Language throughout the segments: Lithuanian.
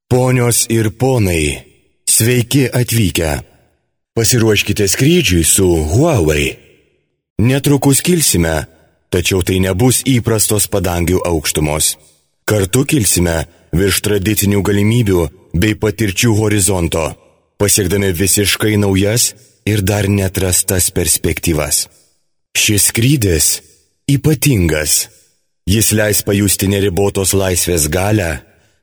Ponios ir ponai, sveiki atvykę. Pasiruoškite skrydžiui su Huawei. Netrukus kilsime, tačiau tai nebus įprastos padangių aukštumos. Kartu kilsime virš tradicinių galimybių bei patirčių horizonto, pasiekdami visiškai naujas ir dar neatrastas perspektyvas. Šis skrydis ypatingas. Jis leis pajusti neribotos laisvės galią,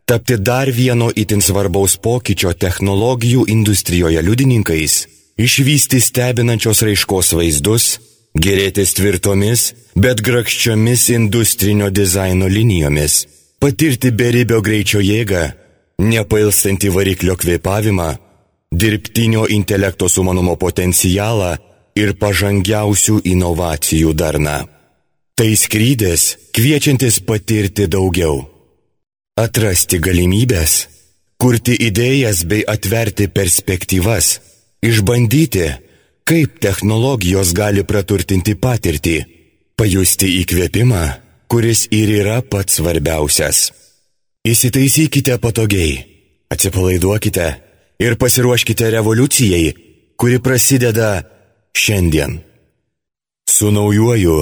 tapti dar vieno itin svarbaus pokyčio technologijų industrijoje liudininkais, išvysti stebinančios raiškos vaizdus, gėrėtis tvirtomis, bet grakščiomis industrinio dizaino linijomis, patirti beribio greičio jėgą, nepailstantį variklio kvėpavimą, dirbtinio intelekto sumanumo potencialą ir pažangiausių inovacijų darną. Tai skrydis, kviečiantis patirti daugiau. Atrasti galimybės, kurti idėjas bei atverti perspektyvas, išbandyti, kaip technologijos gali praturtinti patirtį, pajusti įkvėpimą, kuris ir yra pats svarbiausias. Įsitaisykite patogiai, atsipalaiduokite ir pasiruoškite revoliucijai, kuri prasideda šiandien. Su naujuoju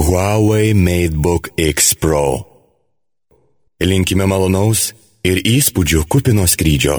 Huawei MateBook X Pro. Linkime malonaus ir įspūdžių kupino skrydžio.